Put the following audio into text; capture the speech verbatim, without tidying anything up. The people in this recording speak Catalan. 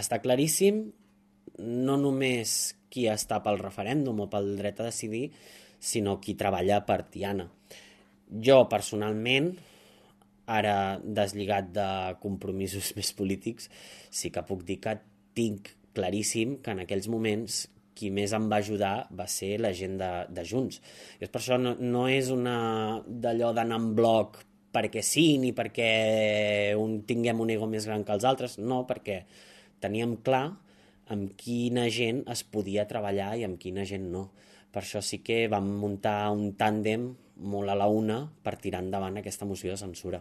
està claríssim no només qui està pel referèndum o pel dret a decidir, sinó qui treballa per Tiana. Jo, personalment, ara deslligat de compromisos més polítics, sí que puc dir que tinc claríssim que en aquells moments qui més em va ajudar va ser la gent de, de Junts. I és per això no, no és una d'allò d'anar en bloc perquè sí, ni perquè un, tinguem un ego més gran que els altres, no, perquè teníem clar amb quina gent es podia treballar i amb quina gent no. Per això sí que vam muntar un tàndem molt a la una per tirar endavant aquesta moció de censura.